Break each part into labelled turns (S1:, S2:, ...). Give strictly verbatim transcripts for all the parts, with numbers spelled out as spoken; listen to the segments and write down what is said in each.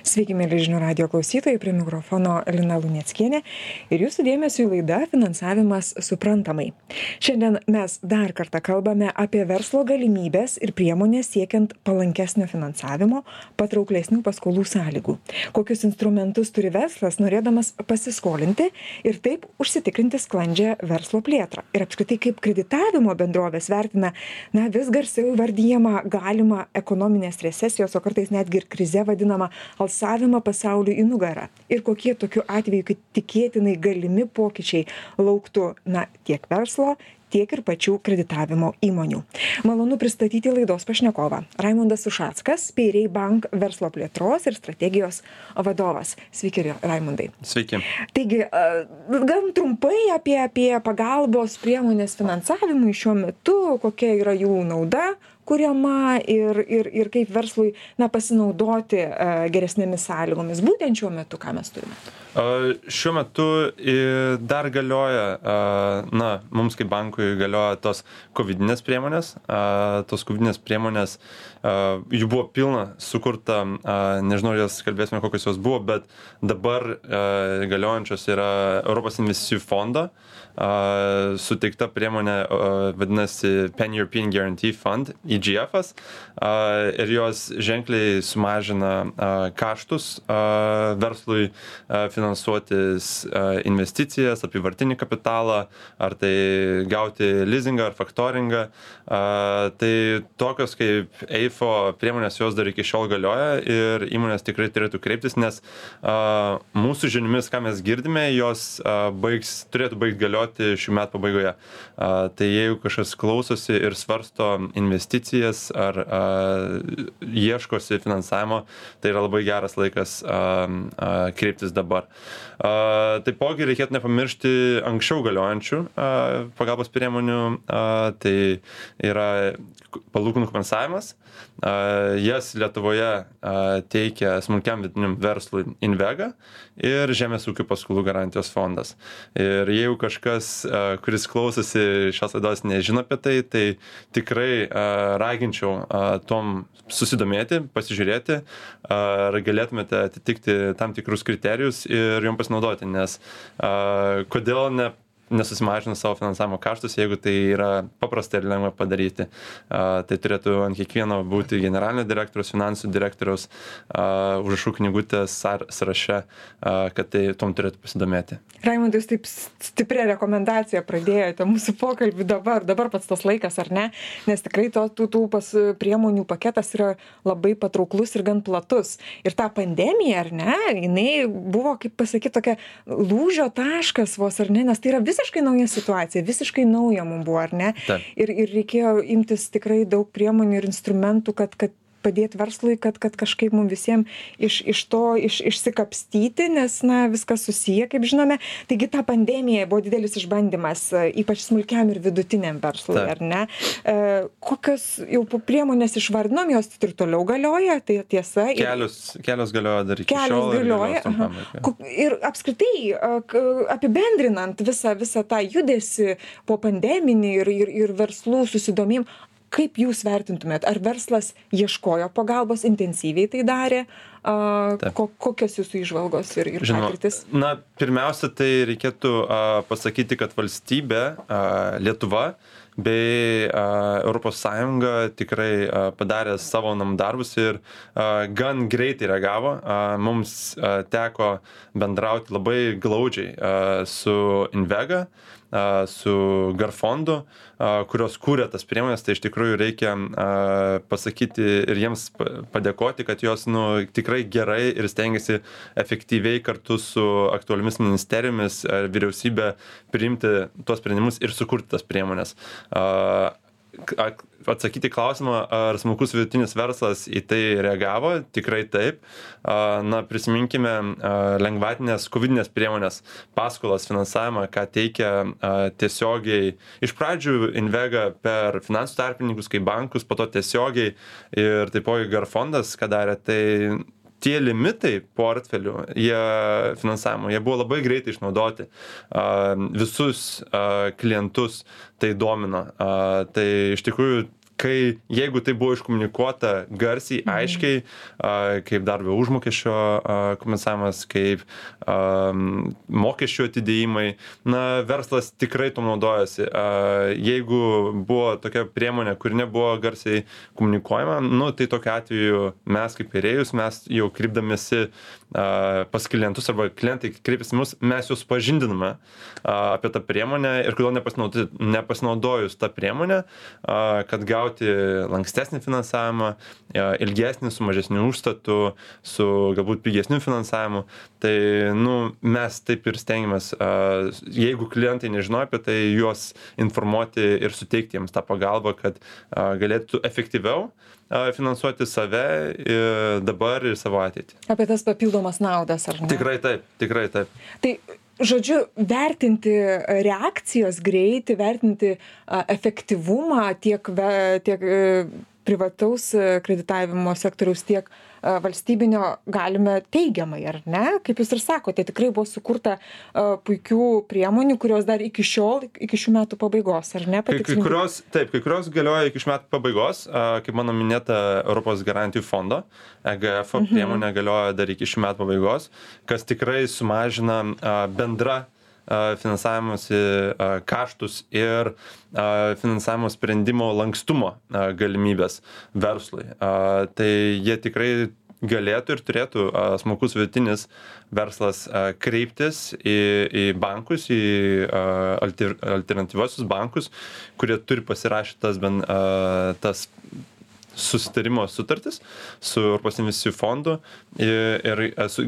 S1: Sveiki, mėly žinių radio klausytojai, prie mikrofono Lina Luneckienė ir jūsų dėmesio į laidą Finansavimas suprantamai. Šiandien mes dar kartą kalbame apie verslo galimybės ir priemonės siekiant palankesnio finansavimo, patrauklesnių paskolų sąlygų. Kokius instrumentus turi verslas, norėdamas pasiskolinti ir taip užsitikrinti sklandžią verslo plėtrą. Ir apskritai, kaip kreditavimo bendrovės vertina, na, vis garsiau įvardyjama galima ekonominės recesijos, o kartais netgi ir krize vadinama alsavimą pasauliui į nugarą. Ir kokie tokiu atveju, kad tikėtinai galimi pokyčiai lauktų, na, tiek verslo, tiek ir pačių kreditavimo įmonių. Malonu pristatyti laidos pašnekovą. Raimundas Ušackas, Payray Bank verslo plėtros ir strategijos vadovas. Sveiki, Raimundai.
S2: Sveiki.
S1: Taigi, gan trumpai apie, apie pagalbos priemonės finansavimui šiuo metu, kokia yra jų nauda kuriama ir, ir, ir kaip verslui, na, pasinaudoti uh, geresnėmis sąlygomis. Būtent šiuo metu, ką mes turime?
S2: Uh, šiuo metu uh, dar galioja, uh, na, mums kaip bankui galioja tos kovidinės priemonės. Uh, tos kovidinės priemonės, uh, jų buvo pilna, sukurta, uh, nežinau, jas kalbėsime, kokios jos buvo, bet dabar uh, galiojančios yra Europos investicijų fondo. Uh, suteikta priemonė uh, vadinasi Pan-European Guarantee Fund, E G F-as, uh, ir jos ženkliai sumažina uh, kaštus uh, verslui uh, finansuotis uh, investicijas, apyvartinį kapitalą, ar tai gauti leasingą ar faktoringą. Uh, tai tokios kaip E I F O priemonės jos dar iki šiol galioja ir įmonės tikrai turėtų kreiptis, nes uh, mūsų žiniomis, ką mes girdime, jos uh, baigs, turėtų baigti galioti šių metų pabaigoje. Uh, tai jeigu kažkas klausosi ir svarsto investicijas ar uh, ieškosi finansavimo, tai yra labai geras laikas uh, uh, kreiptis dabar. Uh, taipogi reikėtų nepamiršti anksčiau galiojančių uh, pagalbos priemonių, uh, tai yra palūkanų kompensavimas. Uh, jas Lietuvoje uh, teikia smulkiam vidutiniam verslui Invega ir Žemės ūkio paskolų garantijos fondas. Ir jeigu kažkas, uh, kuris klausosi šios laidos, nežino apie tai, tai tikrai uh, raginčiau uh, tom susidomėti, pasižiūrėti, ar galėtumėte atitikti tam tikrus kriterijus ir jom pasinaudoti, nes uh, kodėl ne nesusimažina savo finansavimo kaštus, jeigu tai yra paprasta ir lengva padaryti. Uh, tai turėtų ant kiekvieno būti generalinio direktoriaus, finansų direktoriaus uh, užrašų knygutės sąraše, uh, kad tai tom turėtų pasidomėti.
S1: Raimundai, jūs taip stiprią rekomendaciją pradėjote mūsų pokalbį dabar, dabar pats tas laikas, ar ne? Nes tikrai to, tų, tų pas priemonių paketas yra labai patrauklus ir gan platus. Ir ta pandemija, ar ne, jinai buvo, kaip pasakyti, tokia lūžio taškas vos, ar ne, nes tai yra visiškai nauja situacija, visiškai nauja mums buvo, ar ne?
S2: Taip.
S1: Ir, ir reikėjo imtis tikrai daug priemonių ir instrumentų, kad, kad padėti verslui, kad, kad kažkaip mums visiems iš, iš to iš, išsikapstyti, nes, na, viskas susiję, kaip žinome. Taigi ta pandemija buvo didelis išbandymas, ypač smulkiam ir vidutiniam verslui, Taip. Ar ne? E, kokios jau priemonės išvardinom, jos ir toliau galioja, tai tiesa.
S2: Kelios, kelios galioja dar iki
S1: kelios
S2: šiol.
S1: Galioja. Ir, ir apskritai, apibendrinant visą, visą tą judesį po pandeminį ir, ir, ir verslų susidomėjimą, kaip jūs vertintumėt? Ar verslas ieškojo pagalbos, intensyviai tai darė? Uh, ko, kokios jūsų įžvalgos ir, ir
S2: Žinoma,
S1: patirtis?
S2: Na, pirmiausia, tai reikėtų uh, pasakyti, kad valstybė, uh, Lietuva bei uh, Europos Sąjunga tikrai uh, padarė savo namų darbus ir uh, gan greitai reagavo. Uh, mums uh, teko bendrauti labai glaudžiai uh, su Invega, uh, su Garfondu, uh, kurios kūrė tas priemonės, tai iš tikrųjų reikia uh, pasakyti ir jiems padėkoti, kad jos, nu, tikrai gerai ir stengiasi efektyviai kartu su aktualiomis ministerijomis ar vyriausybė priimti tuos sprendimus ir sukurti tas priemonės. Uh, atsakyti klausimą, ar smulkus vidutinis verslas į tai reagavo, tikrai taip. Uh, na, prisiminkime uh, lengvatinės kovidinės priemonės, paskolas, finansavimą, ką teikia uh, tiesiogiai iš pradžių Invega per finansų tarpininkus kaip bankus, po to tiesiogiai ir taipogi Garfondas, ką darė, tai tie limitai portfelių, jie finansavimo, jie buvo labai greitai išnaudoti. Visus klientus tai domino. Tai iš tikrųjų kai jeigu tai buvo iškomunikuota garsiai, aiškiai, mhm. kaip darbo užmokesčio kompensavimas, kaip mokesčių atidėjimai, na, verslas tikrai to naudojasi. Jeigu buvo tokia priemonė, kuri nebuvo garsiai komunikuojama, nu, tai tokiu atveju mes kaip pirėjus, mes jau kreipdamėsi pas klientus arba klientai kreipiasi mus, mes jūs pažindiname apie tą priemonę ir kodėl nepasinaudojus tą priemonę, kad gauti lankstesnį finansavimą, ilgesnį su mažesniu užstatu, su galbūt pigesniu finansavimu. Tai nu, mes taip ir stengiamės, jeigu klientai nežinojo apie tai, juos informuoti ir suteikti jiems tą pagalbą, kad galėtų efektyviau finansuoti save ir dabar ir savo ateitį.
S1: Apie tas papildomas naudas, ar ne?
S2: Tikrai taip, tikrai taip.
S1: Tai, žodžiu, vertinti reakcijos greitį, vertinti efektyvumą tiek, tiek privataus kreditavimo sektoriaus, tiek valstybinio galime teigiamai, ar ne? Kaip jūs ir sakote, tikrai buvo sukurta puikių priemonių, kurios dar iki šiol, iki šių metų pabaigos, ar ne?
S2: Kai, kai kurios, taip, kai kurios galioja iki šių metų pabaigos, kaip mano minėta Europos garantijų fondo, E G F mhm. priemonė galioja dar iki šių metų pabaigos, kas tikrai sumažina bendrą finansavimosi kaštus ir finansavimo sprendimo lankstumo galimybės verslui. Tai jie tikrai galėtų ir turėtų smulkus vidutinis verslas kreiptis į, į bankus, į alter, alternatyviosius bankus, kurie turi pasirašyti tas, ben, tas susitarimo sutartis su Europos investicijų fondu ir, ir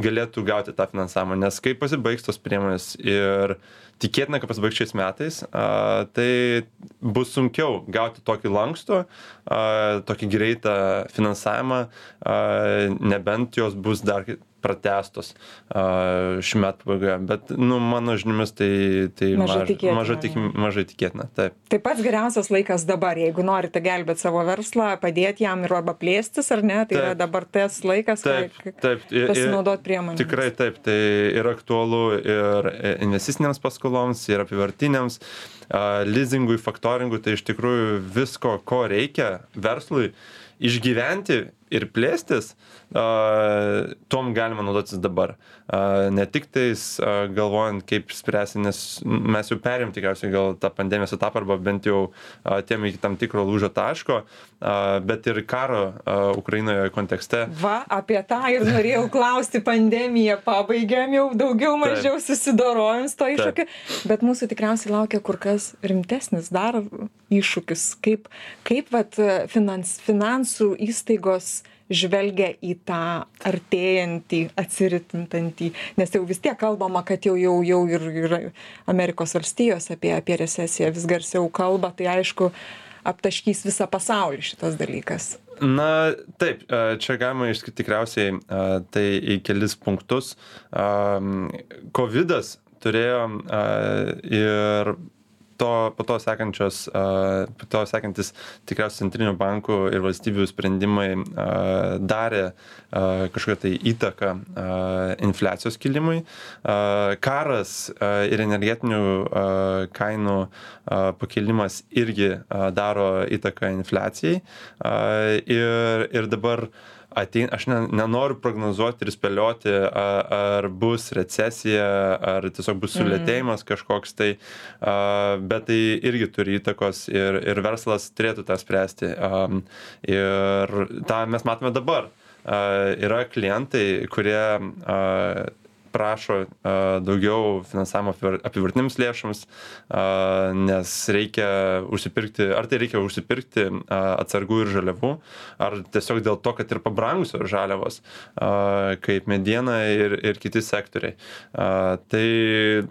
S2: galėtų gauti tą finansavimą, nes kai pasibaigs tos priemonės ir tikėtina, kad pasibaigs šiais metais, a, tai bus sunkiau gauti tokį lankstų, a, tokį greitą finansavimą, a, nebent jos bus dar pratęstos šių metų pabaigoje, bet nu, mano žiniomis tai, tai
S1: mažai
S2: maž,
S1: tikėtina.
S2: mažai, tik, mažai tikėtina. Taip.
S1: Tai pats geriausias laikas dabar, jeigu norite gelbėti savo verslą, padėti jam ir arba plėstis, ar ne, tai taip. Yra dabar tas laikas,
S2: taip,
S1: kai
S2: taip,
S1: pasinaudoti priemonėmis.
S2: Tikrai taip, tai yra aktualu ir investicinėms paskoloms, ir apivartiniams, leasingui, faktoringui, tai iš tikrųjų visko, ko reikia verslui išgyventi ir plėstis, uh, tom galima naudotis dabar. Uh, ne tik tais uh, galvojant, kaip spręsti, nes mes jau perėm tikriausiai gal tą pandemijos etapą arba bent jau uh, tiem iki tam tikro lūžio taško, uh, bet ir karo uh, Ukrainoje kontekste.
S1: Va, apie tą ir norėjau klausti, pandemiją pabaigėm, jau daugiau mažiau susidorojom su to iššūkiu, bet mūsų tikriausiai laukia kur kas rimtesnis dar iššūkis, kaip, kaip vat, finans, finansų įstaigos žvelgia į tą artėjantį, atsiritintantį, nes jau vis tiek kalbama, kad jau, jau, jau ir, ir Amerikos valstijos apie, apie recesiją vis garsiau kalba, tai aišku, aptaškys visą pasaulį šitas dalykas.
S2: Na, taip, čia galima išskirti tikriausiai tai į kelis punktus. Covidas turėjo ir to, po to sekančios, po to sekantis tikriausiai centrinių bankų ir valstybių sprendimai darė kažkokią tai įtaką infliacijos kilimui. Karas ir energetinių kainų pakilimas irgi daro įtaką infliacijai. Ir, ir dabar atein, aš ne, nenoriu prognozuoti ir spėlioti, ar, ar bus recesija, ar tiesiog bus sulėtėjimas kažkoks tai, a, bet tai irgi turi įtakos ir, ir verslas turėtų tą spręsti. A, ir tą mes matome dabar. A, yra klientai, kurie a, prašo uh, daugiau finansavimo apivartinėms lėšoms, uh, nes reikia užsipirkti, ar tai reikia užsipirkti uh, atsargų ir žaliavų, ar tiesiog dėl to, kad ir pabrangusios žaliavos, uh, kaip mediena ir, ir kiti sektoriai. Uh, tai,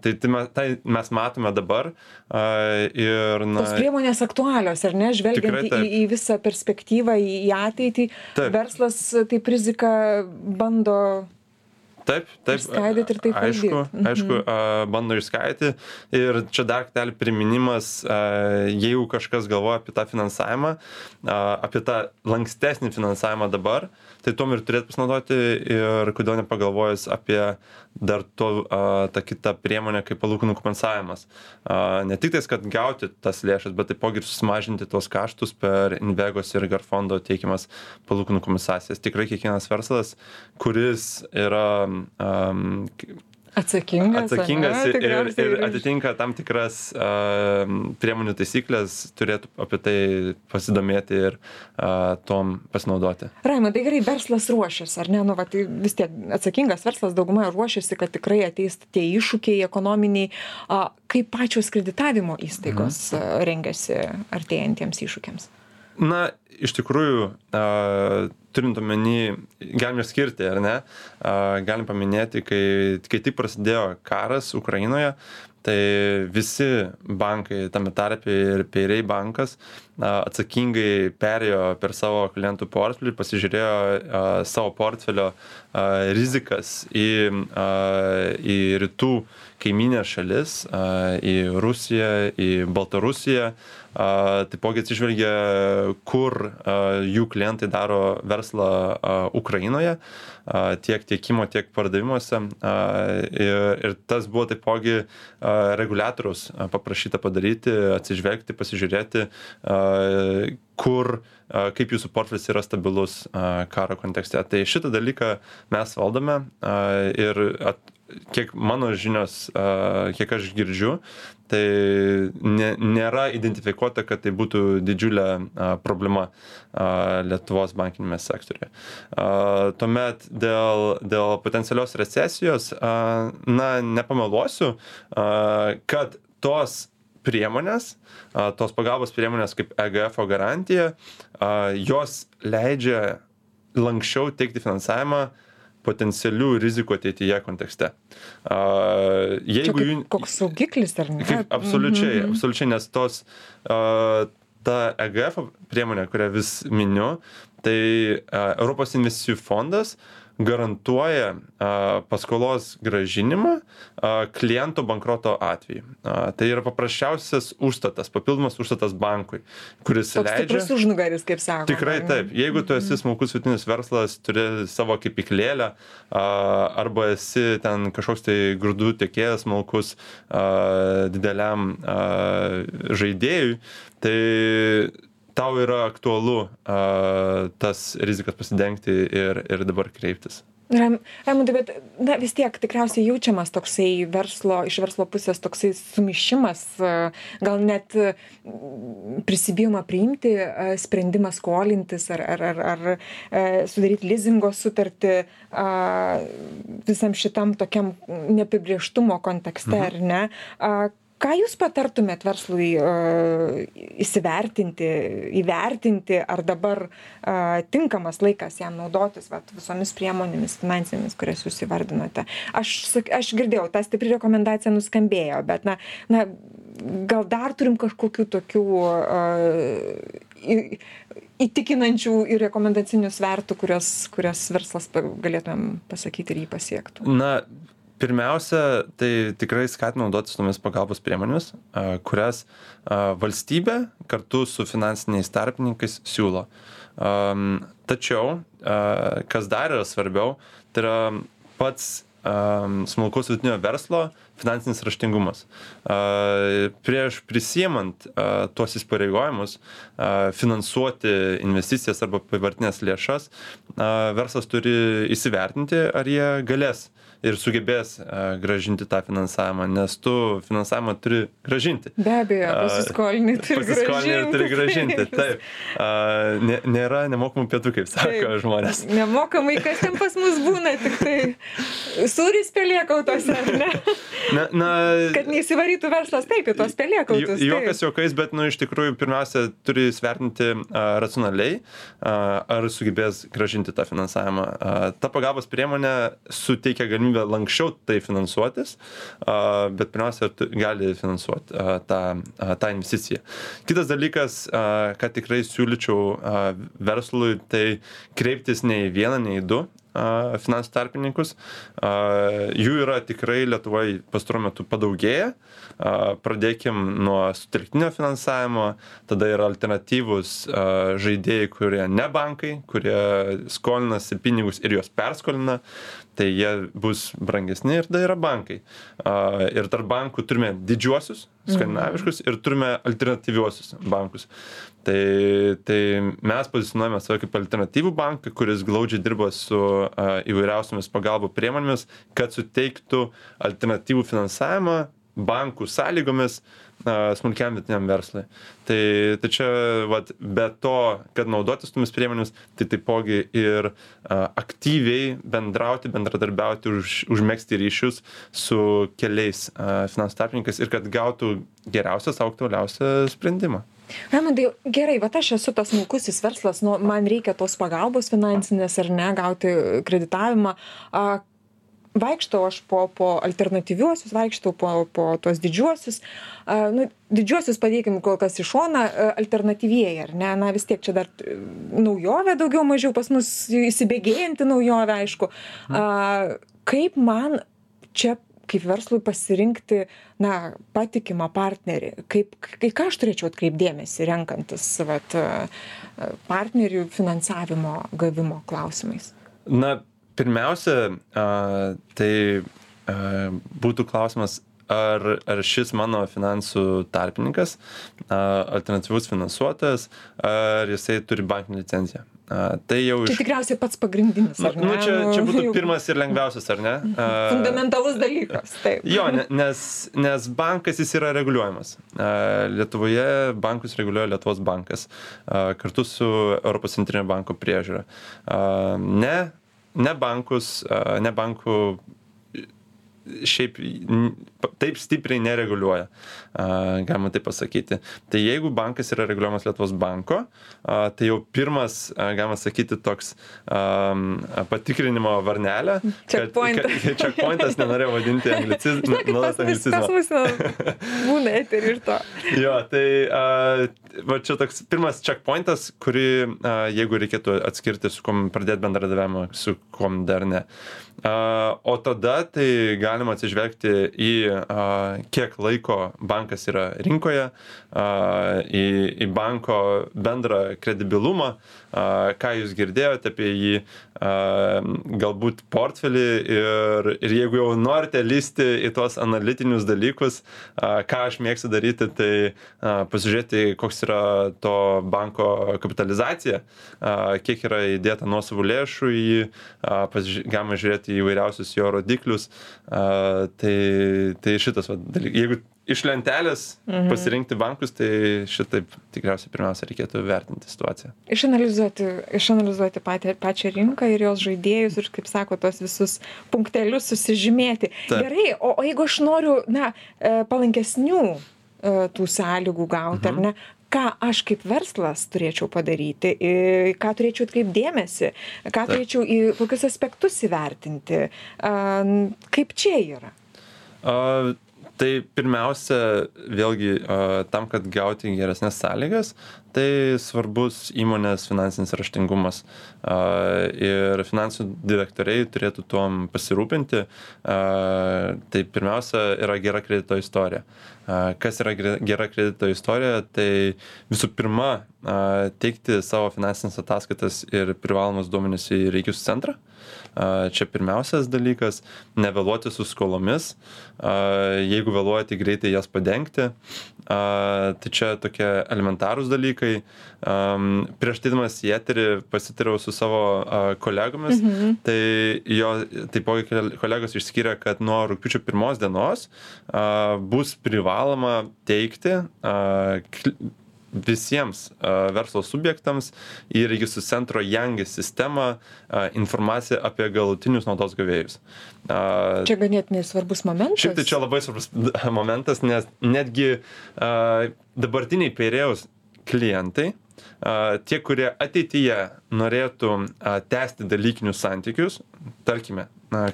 S2: tai, tai, mes, tai mes matome dabar. Uh, ir, na,
S1: tos priemonės aktualios, ar ne? Žvelgiant į, į visą perspektyvą, į ateitį, taip. Verslas taip riziką bando
S2: Taip, taip.
S1: Išskaidyti ir taip
S2: aišku,
S1: valdyt.
S2: aišku, mhm. bando išskaidyti. Ir čia dar kartelį priminimas, jeigu kažkas galvoja apie tą finansavimą, apie tą lankstesnį finansavimą dabar, tai tuom ir turėtų pasinaudoti ir kodėl nepagalvojus apie dar to, tą kitą priemonę kaip palūkanų kompensavimas. Ne tik tais, kad gauti tas lėšas, bet taipogi ir susimažinti tos kaštus per Invegos ir Garfondo teikiamas palūkanų kompensacijas. Tikrai kiekvienas verslas, kuris yra um,
S1: atsakingas,
S2: atsakingas
S1: ane,
S2: ir, ir atitinka tam tikras uh, priemonių taisyklės, turėtų apie tai pasidomėti ir uh, tom pasinaudoti.
S1: Raimondai, gerai, verslas ruošiasi, ar ne? Nu, va, tai vis tiek atsakingas verslas daugumai ruošiasi, kad tikrai ateis tie iššūkiai ekonominiai. Uh, kaip pačios kreditavimo įstaigos mhm. uh, rengiasi artėjantiems iššūkiams?
S2: Na, iš tikrųjų, uh, turint omeny, galim skirti, ar ne, uh, galim paminėti, kai, kai tik prasidėjo karas Ukrainoje, tai visi bankai, tame tarpe ir Payray bankas, uh, atsakingai perėjo per savo klientų portfelį, pasižiūrėjo uh, savo portfelio uh, rizikas į, uh, į rytų kaiminės šalis, uh, į Rusiją, į Baltarusiją, Uh, taipogi atsižvelgia, kur uh, jų klientai daro verslą uh, Ukrainoje, uh, tiek tiekimo, tiek pardavimuose. Uh, ir, ir tas buvo taipogi uh, reguliatoriaus uh, paprašyta padaryti, atsižvelgti, pasižiūrėti, uh, kur, uh, kaip jūsų portfelis yra stabilus uh, karo kontekste. Tai šitą dalyką mes valdome uh, ir at, kiek mano žinios, uh, kiek aš girdžiu, tai ne, nėra identifikuota, kad tai būtų didžiulė a, problema a, Lietuvos bankinėme sektoriuje. A, tuomet dėl, dėl potencialios recesijos, a, na, nepameluosiu, a, kad tos priemonės, a, tos pagalbos priemonės kaip E G F O garantija, a, jos leidžia lankščiau teikti finansavimą potencialių rizikų ateityje kontekste. Uh, jeigu
S1: Čia kaip koks saugiklis, ar ne?
S2: Kaip, absoliučiai,
S1: mm-hmm.
S2: absoliučiai, nes tos, uh, ta E G F priemonė, kurią vis miniu, tai uh, Europos investicijų fondas garantuoja a, paskolos grąžinimą a, kliento bankroto atveju. A, tai yra paprasčiausias užstatas, papildomas užstatas bankui, kuris
S1: Toks
S2: leidžia...
S1: Toks stiprus užnugaris, kaip sako.
S2: Tikrai taip. Jeigu tu esi smulkus vidutinis verslas, turi savo kepyklėlę, a, arba esi ten kažkoks tai grūdų tiekėjas smulkus a, dideliam a, žaidėjui, tai tau yra aktualu uh, tas rizikas pasidengti ir, ir dabar kreiptis.
S1: Raimondai, bet na, vis tiek tikriausiai jaučiamas toksai verslo, iš verslo pusės toksai sumišimas, gal net prisibijoma priimti sprendimą skolintis ar, ar, ar, ar sudaryti lizingo sutartį visam šitam tokiam neapibrėžtumo kontekste, mhm. ar ne? Ką jūs patartumėt verslui uh, įsivertinti, įvertinti, ar dabar uh, tinkamas laikas jam naudotis vat, visomis priemonėmis finansinėmis, kurias jūs įvardinote? Aš, aš girdėjau, ta stipri rekomendacija nuskambėjo, bet na, na, gal dar turim kažkokių tokių uh, įtikinančių ir rekomendacinių svertų, kurias, kurias verslas galėtumėm pasakyti ir jį pasiektų?
S2: Na, pirmiausia, tai tikrai skatinu naudotis tomis pagalbos priemonėmis, kurias valstybė kartu su finansiniais tarpininkais siūlo. Tačiau, kas dar yra svarbiau, tai yra pats smulkaus vidutinio verslo finansinis raštingumas. Prieš prisiimant tuos įsipareigojimus finansuoti investicijas arba apyvartines lėšas, verslas turi įsivertinti, ar jie galės ir sugebės uh, gražinti tą finansavimą, nes tu finansavimą turi gražinti.
S1: Be abejo, pasiskolinį turi
S2: pasiskolinį
S1: gražinti.
S2: turi gražinti, taip. Uh, nė, nėra nemokamų pietų, kaip sako taip. Žmonės.
S1: Nemokamai, kas ten pas mus būna, tik tai sūris pelėkautose, ar ne?
S2: Na, na,
S1: kad neįsivarytų verslas taip į tos pelėkautus.
S2: Juokas juokais, bet nu, iš tikrųjų pirmiausia turi svertinti uh, racionaliai, uh, ar sugebės gražinti tą finansavimą. Uh, ta pagalbos priemonė suteikia galimybę lankščiau tai finansuotis, bet pirmiausia gali finansuoti tą, tą investiciją. Kitas dalykas, ką tikrai siūlyčiau verslui, tai kreiptis ne į vieną, ne į du finansų tarpininkus. Jų yra tikrai Lietuvoje pastaruoju metu padaugėję. Pradėkim nuo sutelktinio finansavimo, tada yra alternatyvūs žaidėjai, kurie ne bankai, kurie skolinasi pinigus ir juos perskolina, tai jie bus brangesni ir tada yra bankai. Ir tarp bankų turime didžiuosius, skandinaviškus ir turime alternatyviuosius bankus. Tai, tai mes pozicionuojame save kaip alternatyvų banką, kuris glaudžiai dirba su a, įvairiausiamis pagalbų priemonėmis, kad suteiktų alternatyvų finansavimą bankų sąlygomis a, smulkiam vidutiniam verslui. Tai, tai čia, vat, be to, kad naudotis tomis priemonėmis, tai taipogi ir a, aktyviai bendrauti, bendradarbiauti, už, užmegzti ryšius su keliais a, finansų tarpininkais ir kad gautų geriausią, sau aktualiausią sprendimą.
S1: Raimundai, gerai, va aš esu tas smulkusis verslas, nu, man reikia tos pagalbos finansinės ar ne, gauti kreditavimą. A, vaikštau aš po, po alternatyviuosius, vaikštau po, po tos didžiuosius. A, nu, didžiuosius padėkim kol kas į šoną, alternatyvieji, ar ne? Na vis tiek čia dar naujovė daugiau mažiau pas mus įsibėgėjanti naujovė, aišku. A, kaip man čia kaip verslui pasirinkti, na, patikimą partnerį, kaip, kai ką aš turėčiau atkreipti dėmesį, renkantis vat, partnerių finansavimo gavimo klausimais?
S2: Na, pirmiausia, a, tai a, būtų klausimas, ar, ar šis mano finansų tarpininkas, a, alternatyvus finansuotojas, ar jisai turi bankinę licenciją. A, tai jau
S1: iš... Čia tikriausiai pats pagrindinis, ar ne?
S2: Nu, čia, čia būtų pirmas ir lengviausias, ar ne? A,
S1: fundamentalus dalykas, taip.
S2: Jo, nes, nes bankas jis yra reguliuojamas. A, Lietuvoje bankus reguliuoja Lietuvos bankas a, kartu su Europos centrinio banko priežiūra. A, ne, ne bankus, a, ne bankų šiaip taip stipriai nereguliuoja, galima taip pasakyti. Tai jeigu bankas yra reguliuojamas Lietuvos banko, tai jau pirmas, galima sakyti, toks patikrinimo varnelė.
S1: Checkpointas.
S2: Checkpointas, nenorėjau vadinti anglicizmą.
S1: Pas mus būna eterį ir to.
S2: Jo, tai va čia toks pirmas checkpointas, kurį, jeigu reikėtų atskirti, su kom pradėti bendradarbiavimą, su kom dar ne. O tada tai galima atsižvelgti į kiek laiko bankas yra rinkoje, į, į banko bendrą kredibilumą, ką jūs girdėjote apie jį, galbūt portfelį ir, ir jeigu jau norite lysti į tuos analitinius dalykus, ką aš mėgstu daryti, tai pasižiūrėti, koks yra to banko kapitalizacija, kiek yra įdėta nuosavų lėšų į jį, galima žiūrėti įvairiausius jo rodiklius, tai, tai šitas va, dalykas. Jeigu iš lentelės mhm. pasirinkti bankus, tai šitaip tikriausiai pirmiausia reikėtų vertinti situaciją.
S1: Išanalizuoti, išanalizuoti patį, pačią rinką ir jos žaidėjus ir, kaip sako, tos visus punktelius susižymėti. Taip. Gerai, o, o jeigu aš noriu, na, palankesnių tų sąlygų gauti, mhm. ar ne? Ką aš kaip verslas turėčiau padaryti, ką turėčiau atkreipti dėmesį, ką turėčiau į kokius aspektus įvertinti, kaip čia yra?
S2: Uh, tai pirmiausia, vėlgi, uh, tam, kad gauti geresnės sąlygas, tai svarbus įmonės finansinis raštingumas. Uh, ir finansų direktoriai turėtų tuom pasirūpinti. Uh, tai pirmiausia yra gera kredito istorija. Uh, kas yra gera kredito istorija? Tai visų pirma, uh, teikti savo finansinės ataskaitas ir privalomus duomenis į registrų centrą. Čia pirmiausias dalykas, nevėluoti su skolomis, jeigu vėluojate greitai jas padengti, tai čia tokie elementarūs dalykai. Prieš teidamas į eterį pasitariau su savo kolegomis, mhm. tai jo taipogi kolegos išskyrė, kad nuo rugpjūčio pirmos dienos bus privaloma teikti visiems uh, verslo subjektams į registrų centro Jangis sistemą uh, informaciją apie galutinius naudos gavėjus. Uh,
S1: čia ganėtinai svarbus momentas.
S2: Šiaip tai čia labai svarbus momentas, nes netgi uh, dabartiniai Piraeus klientai, uh, tie, kurie ateityje norėtų uh, tęsti dalykinius santykius, tarkime,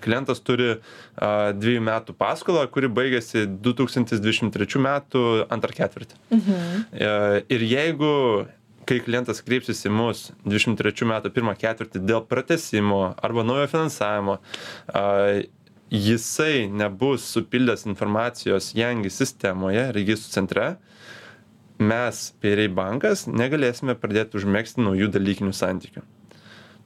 S2: klientas turi uh, dviejų metų paskolą, kuri baigėsi du tūkstančiai dvidešimt trečių metų antrą ketvirtį. Mhm. Uh, ir jeigu kai klientas kreipsis į mus dvidešimt trečių metų pirmą ketvirtį dėl pratęsimo arba naujo finansavimo, jisai nebus supildęs informacijos Yangi sistemoje, registrų centre, mes, Payray bankas, negalėsime pradėti užmegzti naujų dalykinių santykių.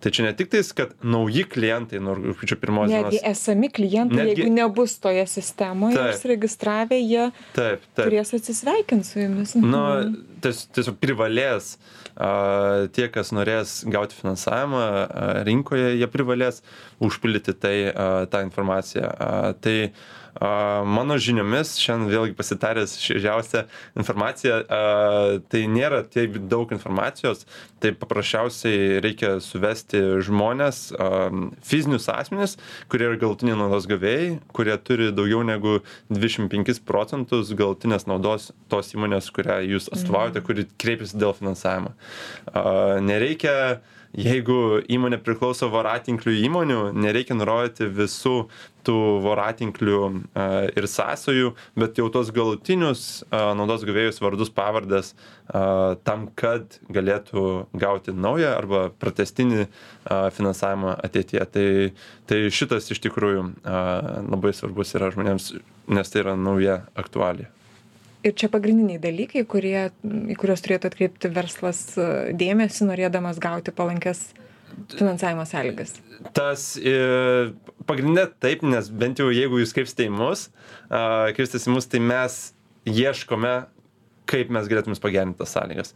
S2: Tai čia ne tik tais, kad nauji klientai nuo rugpjūčio pirmos dienos.
S1: Netgi esami klientai, netgi, jeigu nebus toje sistemoje, užsiregistravę, jie
S2: taip, taip.
S1: turės atsisveikinti su jumis.
S2: Nu, tiesiog privalės, a, tie, kas norės gauti finansavimą a, rinkoje, jie privalės užpildyti tai, a, tą informaciją. A, tai a, mano žiniomis, šiandien vėlgi pasitaręs šviežiausią informaciją, a, tai nėra tiek daug informacijos, tai paprasčiausiai reikia suvesti žmonės, fizinius asmenis, kurie yra galutiniai naudos gavėjai, kurie turi daugiau negu dvidešimt penkis procentus galutinės naudos tos įmonės, kurią jūs atstovaujate, kuri kreipiasi dėl finansavimo. Nereikia, jeigu įmonė priklauso voratinklių įmonių, nereikia nurodyti visų tų voratinklių ir sąsajų, bet jau tos galutinius naudos gavėjus vardus pavardės tam, kad galėtų gauti naują arba pratęstinį finansavimą ateityje. Tai, tai šitas iš tikrųjų labai svarbus yra žmonėms, nes tai yra nauja aktualija.
S1: Ir čia pagrindiniai dalykai, kurie, į kuriuos turėtų atkreipti verslas dėmesį, norėdamas gauti palankes finansavimo sąlygas.
S2: Tas e, pagrindinė taip, nes bent jau jeigu jūs kreipsite į mus, kreipsitės į mus, tai mes ieškome, kaip mes galėtume pagerinti tas sąlygas.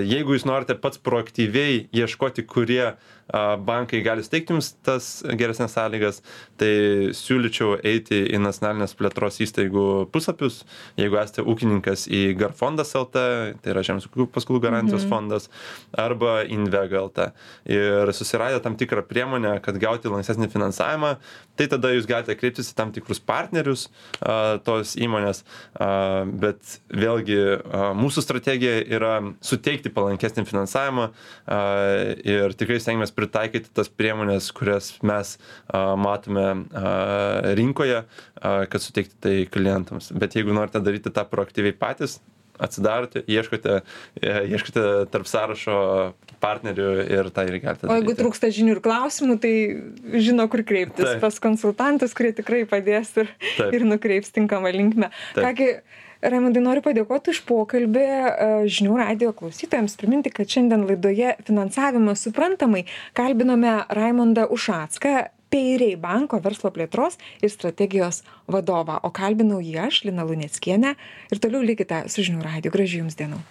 S2: Jeigu jūs norite pats proaktyviai ieškoti, kurie bankai gali suteikti jums tas geresnės sąlygas, tai siūlyčiau eiti į nacionalinės plėtros įstaigų puslapius. Jeigu esate ūkininkas, į Garfondas L T, tai yra Žemės ūkio paskolų garantijos mhm. fondas, arba Invega L T. Ir susiradę tam tikrą priemonę, kad gauti lankstesnį finansavimą, tai tada jūs galite kreiptis į tam tikrus partnerius a, tos įmonės, a, bet vėlgi a, mūsų strategija yra suteikti palankesnį finansavimą a, ir tikrai stengiamės pritaikyti tas priemonės, kurias mes a, matome a, rinkoje, a, kad suteikti tai klientams. Bet jeigu norite daryti tą proaktyviai patys, atsidarote, ieškote, ieškote tarp sąrašo partnerių ir tą ir galite daryti.
S1: O jeigu trūksta žinių ir klausimų, tai žino, kur kreiptis. Taip. Pas konsultantus, kurie tikrai padės ir, ir nukreips tinkamą linkmę. Kągi, Raimundai, noriu padėkoti už pokalbį žinių radijo klausytojams. Priminti, kad šiandien laidoje Finansavimas suprantamai kalbinome Raimundą Ušacką, Payray banko verslo plėtros ir strategijos vadovą. O kalbinau jį aš, Lina Luneckienė. Ir toliau likite su žinių radiju. Gražių jums dienų.